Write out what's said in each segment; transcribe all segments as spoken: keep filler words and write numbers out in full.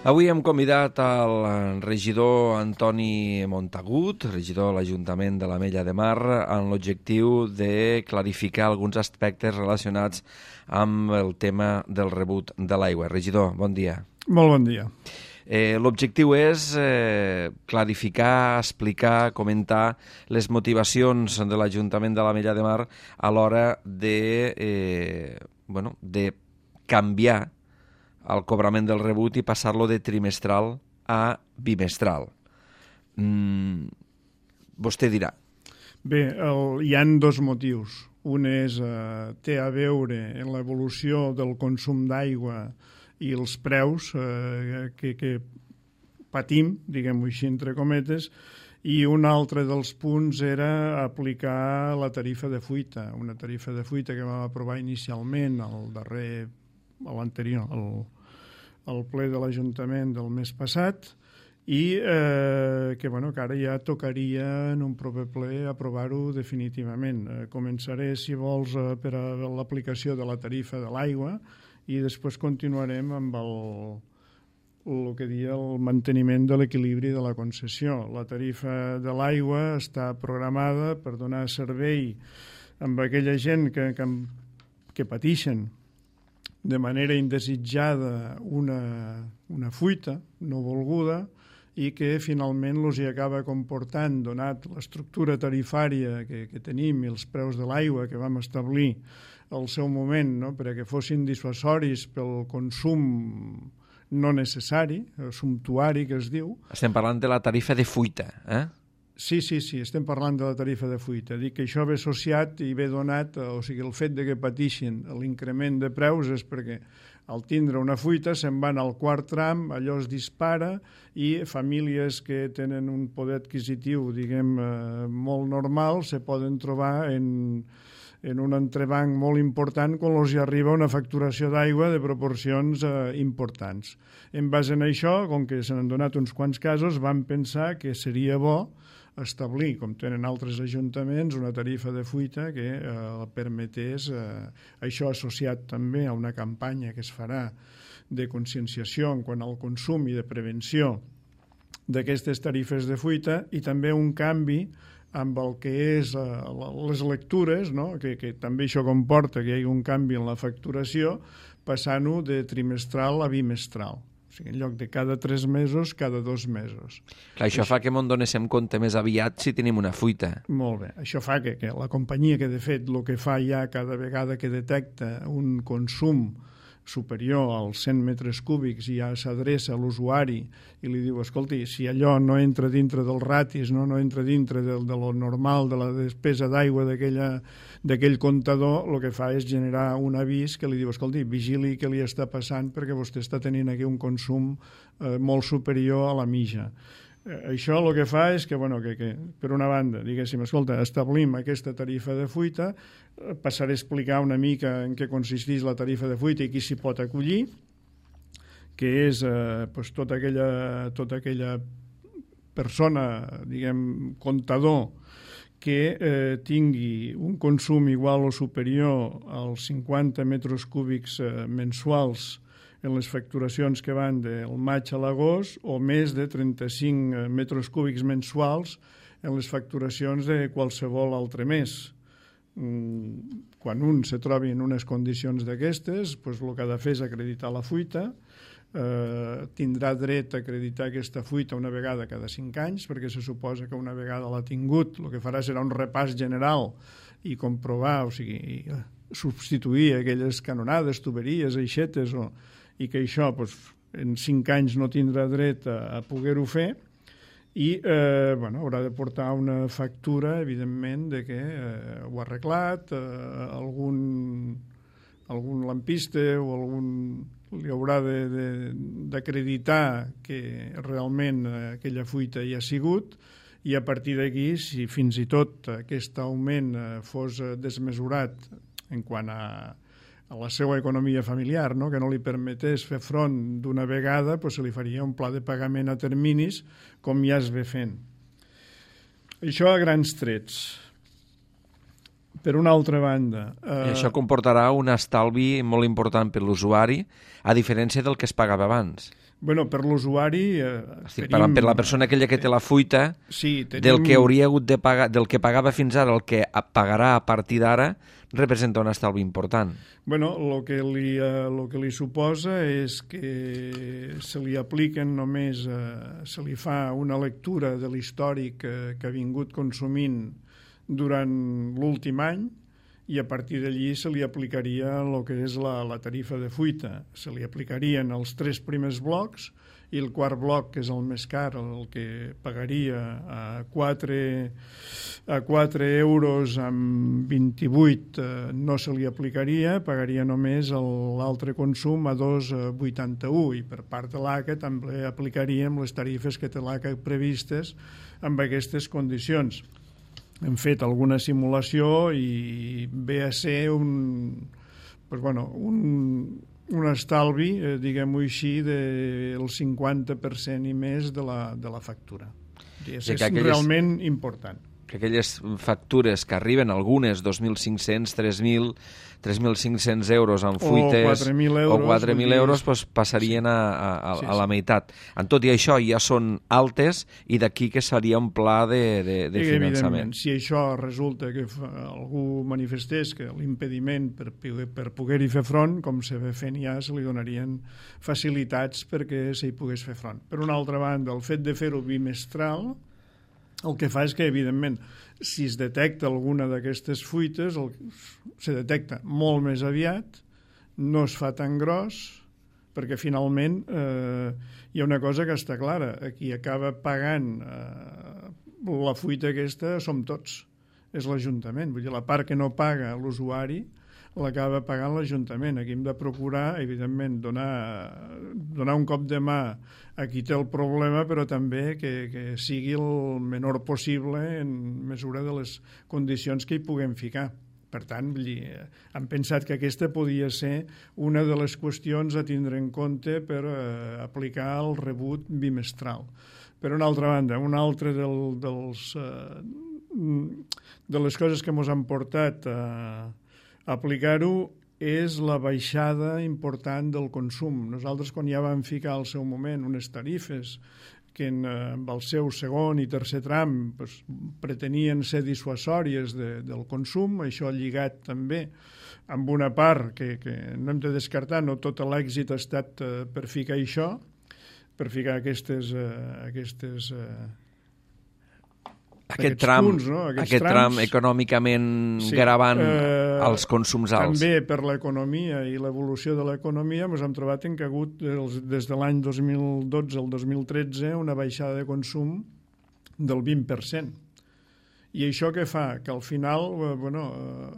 Avui hem convidat el regidor Antoni Montagut, regidor de l'Ajuntament de l'Ametlla de Mar, amb l'objectiu de clarificar alguns aspectes relacionats amb el tema del rebut de l'aigua. Regidor, bon dia. Molt bon dia. Eh, L'objectiu és eh, clarificar, explicar, comentar les motivacions de l'Ajuntament de l'Ametlla de Mar a l'hora de, eh, bueno, de canviar el cobrament del rebut i passar-lo de trimestral a bimestral. Mm, vostè dirà. Bé, el, hi han dos motius. Un és, eh, té a veure en l'evolució del consum d'aigua i els preus eh, que, que patim, diguem-ho així entre cometes, i un altre dels punts era aplicar la tarifa de fuita, una tarifa de fuita que vam aprovar inicialment al darrer, a l'anterior, al, al ple de l'Ajuntament del mes passat, i eh, que, bueno, que ara ja tocaria en un proper ple aprovar-ho definitivament. Eh, començaré, si vols, eh, per a l'aplicació de la tarifa de l'aigua i després continuarem amb el, el que dia el manteniment de l'equilibri de la concessió. La tarifa de l'aigua està programada per donar servei amb aquella gent que, que, que pateixen de manera indesitjada una, una fuita no volguda i que finalment els hi acaba comportant, donat l'estructura tarifària que, que tenim i els preus de l'aigua que vam establir al seu moment, no?, perquè fossin dissuasoris pel consum no necessari, el sumptuari que es diu. Estem parlant de la tarifa de fuita, eh? Sí, sí, sí, estem parlant de la tarifa de fuita. Dic que això ve associat i ve donat, o sigui, el fet de que pateixin l'increment de preus és perquè al tindre una fuita se'n van al quart tram, allò es dispara i famílies que tenen un poder adquisitiu, diguem, eh, molt normal, se poden trobar en, en un entrebanc molt important quan els hi arriba una facturació d'aigua de proporcions eh, importants. En base a això, com que se n'han donat uns quants casos, vam pensar que seria bo establir, com tenen altres ajuntaments, una tarifa de fuita que eh, permetés, eh, això associat també a una campanya que es farà de conscienciació en quant al consum i de prevenció d'aquestes tarifes de fuita, i també un canvi amb el que és eh, les lectures, no?, que, que també això comporta que hi hagi un canvi en la facturació, passant-ho de trimestral a bimestral. O sigui, en lloc de cada tres mesos, cada dos mesos. Clar, això, això fa que m'en donéssim compte més aviat si tenim una fuita. Molt bé. Això fa que, que la companyia que, de fet, el que fa ja cada vegada que detecta un consum superior als cent metres cúbics i ja s'adreça a l'usuari i li diu, escolti, si allò no entra dintre dels ratis, no, no entra dintre de, de lo normal, de la despesa d'aigua d'aquell comptador, el que fa és generar un avís que li diu, escolti, vigili què li està passant perquè vostè està tenint aquí un consum eh, molt superior a la mitja. Eh, això el que fa és que, bueno, que, que per una banda, diguéssim, escolta, establim aquesta tarifa de fuita, eh, passaré a explicar una mica en què consisteix la tarifa de fuita i qui s'hi pot acollir, que és eh, pues, tota, aquella, tota aquella persona, diguem, comptador, que eh, tingui un consum igual o superior als cinquanta metres cúbics eh, mensuals en les facturacions que van del maig a l'agost, o més de trenta-cinc metres cúbics mensuals en les facturacions de qualsevol altre mes. Quan un se trobi en unes condicions d'aquestes, doncs el que ha de fer és acreditar la fuita, eh, tindrà dret a acreditar aquesta fuita una vegada cada cinc anys, perquè se suposa que una vegada l'ha tingut, el que farà serà un repàs general i comprovar, o sigui, substituir aquelles canonades, tuberies, aixetes, o i que això doncs, en cinc anys no tindrà dret a, a poder-ho fer i eh, bueno, haurà de portar una factura, evidentment, de que eh, ho ha arreglat, eh, algun, algun lampista o algun li haurà d'acreditar que realment aquella fuita hi ha sigut, i a partir d'aquí, si fins i tot aquest augment fos desmesurat en quant a a la seva economia familiar, no?, que no li permetés fer front d'una vegada, doncs se li faria un pla de pagament a terminis, com ja es ve fent. Això a grans trets. Per una altra banda... Eh... I això comportarà un estalvi molt important per l'usuari, a diferència del que es pagava abans. Bueno, per l'usuari... Eh, Estic tenim... parlant per la persona aquella que té la fuita, sí, tenim... del que hauria hagut de pagar, del que pagava fins ara, el que pagarà a partir d'ara, representa un estalvi important. Bueno, el que li, eh, lo que li suposa és que se li apliquen només, eh, se li fa una lectura de l'històric que, que ha vingut consumint durant l'últim any, i a partir d'allí se li aplicaria el que és la, la tarifa de fuita. Se li aplicarien els tres primers blocs i el quart bloc, que és el més car, el que pagaria a quatre, a quatre euros amb vint-i-vuit, eh, no se li aplicaria, pagaria només l'altre consum a dos coma vuitanta-u, i per part de l'A C A també aplicaríem les tarifes que té l'A C A previstes amb aquestes condicions. Hem fet alguna simulació i ve a ser un, pues bueno, un, un estalvi, eh, diguem-ho així, del cinquanta per cent i més de la, de la factura. És, és aquelles, realment important. Que aquelles factures que arriben, algunes dos mil cinc-cents, tres mil, tres mil cinc-cents euros en fuites o quatre mil euros, o quatre mil euros pues, passarien sí. a, a, sí, a la sí. meitat. En tot i això ja són altes i d'aquí que seria un pla de, de, de I, finançament. Si això resulta que algú manifestés que l'impediment per, per poder-hi fer front, com se ve fent ja, se li donarien facilitats perquè s'hi pogués fer front. Per una altra banda, el fet de fer-ho bimestral el que fa és que, evidentment, si es detecta alguna d'aquestes fuites, el, se detecta molt més aviat, no es fa tan gros, perquè finalment eh, hi ha una cosa que està clara, qui acaba pagant eh, la fuita aquesta som tots, és l'Ajuntament. Vull dir, la part que no paga l'usuari l'acaba pagant l'Ajuntament. Aquí hem de procurar, evidentment, donar, donar un cop de mà a qui té el problema, però també que, que sigui el menor possible en mesura de les condicions que hi puguem ficar. Per tant, vull dir, hem pensat que aquesta podia ser una de les qüestions a tindre en compte per eh, aplicar el rebut bimestral. Per una altra banda, una altra del, dels, eh, de les coses que ens han portat a aplicar-ho és la baixada important del consum. Nosaltres, quan ja vam ficar al seu moment unes tarifes que en, amb el seu segon i tercer tram pues, pretenien ser dissuasòries de, del consum, això lligat també amb una part que, que no hem de descartar, no tot l'èxit ha estat eh, per ficar això, per ficar aquestes... Eh, aquestes eh, Aquest tram, punts, no? aquest tram econòmicament sí, gravant eh, els consums alts. També per l'economia i l'evolució de l'economia ens hem trobat en que ha hagut des de l'any dos mil dotze al dos mil tretze una baixada de consum del vint per cent. I això què fa? Que al final eh, bueno, eh,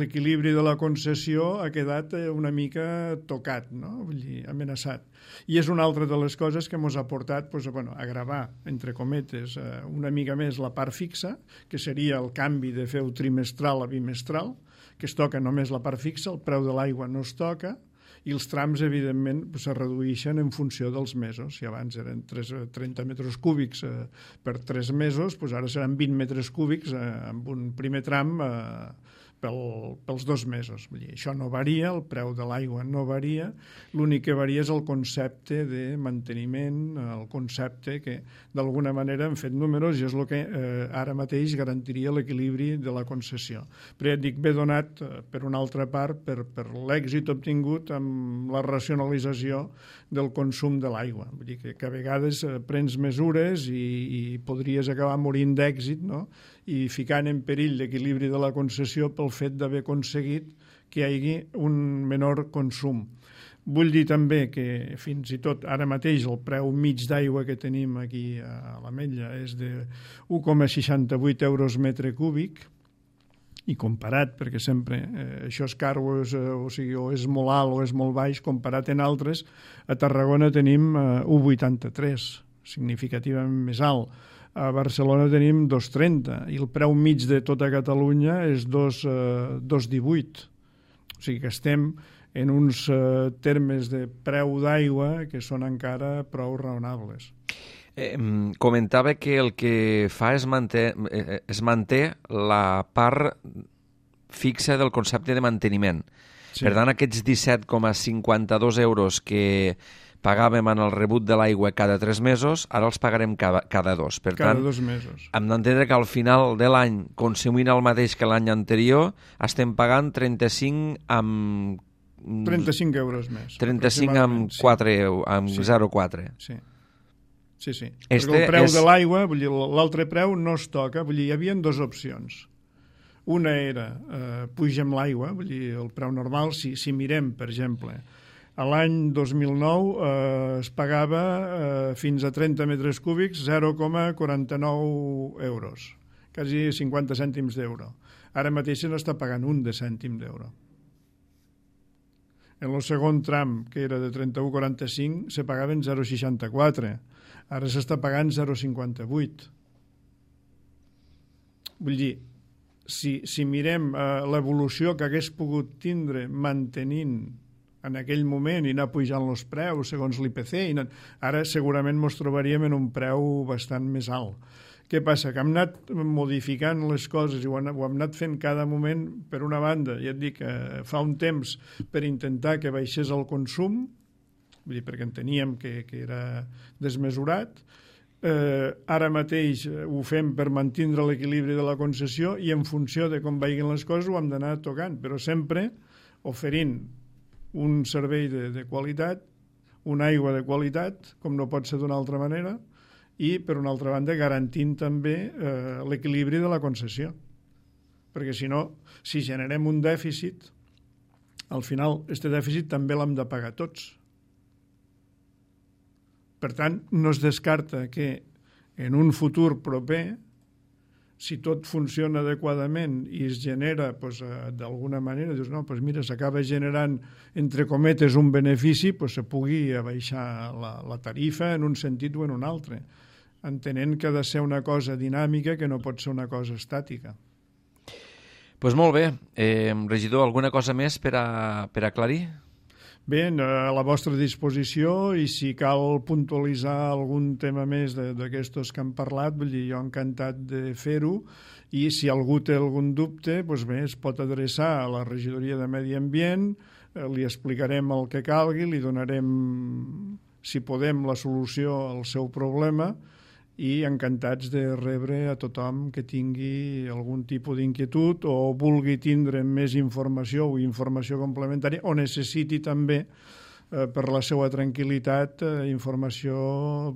l'equilibri de la concessió ha quedat una mica tocat, no? Vull dir, amenaçat. I és una altra de les coses que ens ha portat pues, bueno, a gravar, entre cometes, una mica més la part fixa, que seria el canvi de fer-ho trimestral a bimestral, que es toca només la part fixa, el preu de l'aigua no es toca, i els trams, evidentment, se redueixen en funció dels mesos. Si abans eren trenta metres cúbics eh, per tres mesos, doncs ara seran vint metres cúbics eh, amb un primer tram eh, pel, pels dos mesos. Vull dir, això no varia, el preu de l'aigua no varia, l'únic que varia és el concepte de manteniment, el concepte que d'alguna manera hem fet números i és el que eh, ara mateix garantiria l'equilibri de la concessió. Però ja et dic, ve donat eh, per una altra part per, per l'èxit obtingut amb la racionalització del consum de l'aigua. Vull dir que, que a vegades eh, prens mesures i, i podries acabar morint d'èxit, no? I ficant en perill l'equilibri de la concessió pel fet d'haver aconseguit que hi hagi un menor consum. Vull dir també que fins i tot ara mateix el preu mig d'aigua que tenim aquí a l'Ametlla és de un coma seixanta-vuit euros metre cúbic, i comparat, perquè sempre eh, això és car o és, o sigui, o és molt alt o és molt baix, comparat en altres, a Tarragona tenim eh, un coma vuitanta-tres, significativament més alt. A Barcelona tenim dos coma trenta i el preu mig de tota Catalunya és dos coma divuit. O sigui que estem en uns eh, termes de preu d'aigua que són encara prou raonables. Eh, comentava que el que fa és manté, eh, es manté la part fixa del concepte de manteniment. Sí. Per tant, aquests disset coma cinquanta-dos euros que pagàvem en el rebut de l'aigua cada tres mesos, ara els pagarem cada, cada dos. Per cada tant, dos mesos. hem d'entendre que al final de l'any, consumint el mateix que l'any anterior, estem pagant trenta-cinc amb... trenta-cinc euros més. trenta-cinc amb, quatre, amb sí. zero coma quatre. Sí. Sí, sí. Este Perquè el preu és... de l'aigua, vull dir, l'altre preu no es toca, vull dir, hi havia dues opcions. Una era, eh, pugem l'aigua, vull dir, el preu normal, si, si mirem, per exemple, a l'any dos mil nou eh, es pagava eh, fins a trenta metres cúbics zero coma quaranta-nou euros, quasi cinquanta cèntims d'euro. Ara mateix se n'està pagant un de cèntim d'euro. En el segon tram, que era de trenta-u coma quaranta-cinc, se pagaven zero coma seixanta-quatre. Ara s'està pagant zero coma cinquanta-vuit. Vull dir, si, si mirem eh, l'evolució que hagués pogut tindre mantenint en aquell moment i anar pujant els preus segons l'I P C, i anar... ara segurament ens trobaríem en un preu bastant més alt. Què passa? Que hem anat modificant les coses i ho hem, ho hem anat fent cada moment, per una banda, ja et dic, eh, fa un temps per intentar que baixés el consum, vull dir, perquè enteníem que, que era desmesurat. Eh, ara mateix ho fem per mantindre l'equilibri de la concessió i en funció de com vagin les coses ho hem d'anar tocant, però sempre oferint un servei de, de qualitat, una aigua de qualitat, com no pot ser d'una altra manera, i, per una altra banda, garantint també eh, l'equilibri de la concessió. Perquè, si no, si generem un dèficit, al final, aquest dèficit també l'hem de pagar tots. Per tant, no es descarta que en un futur proper, si tot funciona adequadament i es genera pues, d'alguna manera, dius, no, pues mira, s'acaba generant, entre cometes, un benefici, pues se pugui abaixar la, la tarifa en un sentit o en un altre, entenent que ha de ser una cosa dinàmica, que no pot ser una cosa estàtica. Doncs pues molt bé. Eh, regidor, alguna cosa més per a, per a aclarir? Bé, a la vostra disposició, i si cal puntualitzar algun tema més d'aquestos que han parlat, vull dir, jo encantat de fer-ho, i si algú té algun dubte, doncs bé, es pot adreçar a la regidoria de Medi Ambient, eh, li explicarem el que calgui, li donarem, si podem, la solució al seu problema, i encantats de rebre a tothom que tingui algun tipus d'inquietud o vulgui tindre més informació o informació complementària o necessiti també eh, per la seva tranquil·litat eh, informació,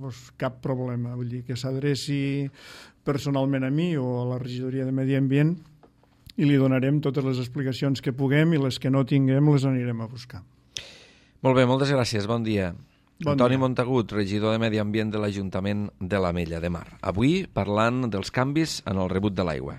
doncs, cap problema. Vull dir, que s'adreci personalment a mi o a la regidoria de Medi Ambient i li donarem totes les explicacions que puguem i les que no tinguem les anirem a buscar. Molt bé, moltes gràcies. Bon dia. Bon Antoni dia. Montagut, regidor de Medi Ambient de l'Ajuntament de l'Ametlla de Mar. Avui parlant dels canvis en el rebut de l'aigua.